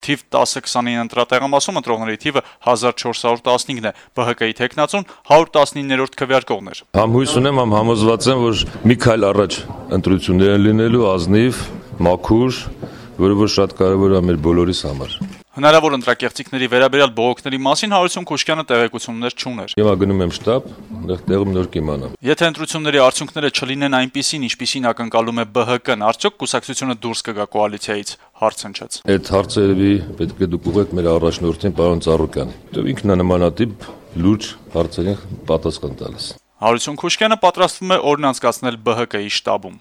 Թիվ 10-29 ընտրատեղամասում ընտրողների թիվը 1415 է, ԲՀԿ-ի թեկնածուն 119-րդ քվեարկողն էր։ Համ հույս ունեմ, համ համոզված եմ, որ մի քայլ առաջ ընտրություններ են լինելու, ազնիվ, մաքուր, որը որ շատ կարևոր է մեր բոլորիս համար։ Հնարավոր ընտրակեղծիքների վերաբերյալ բողոքների մասին Հարություն Քուշկյանը տեղեկություններ չուներ։ Հիմա գնում եմ շտաբ, այնտեղ տեղում նոր կիմանամ։ Եթե ընտրությունների արդյունքները չլինեն այնպիսին, ինչպիսին ակնկալում է ԲՀԿ-ն, արդյոք կուսակցությունը դուրս կգա կոալիցիայից, հարց հնչեց։ Այդ հարցերևի պետք է դուք ուղղեք մեր առաջնորդին պարոն Ծառուկյան։ Ինքն է նմանատիպ լուրջ հարցերին պատասխան տալիս։ Հարություն Քուշկյանը պատրաստվում է օրն անցկացնել ԲՀԿ-ի շտաբում։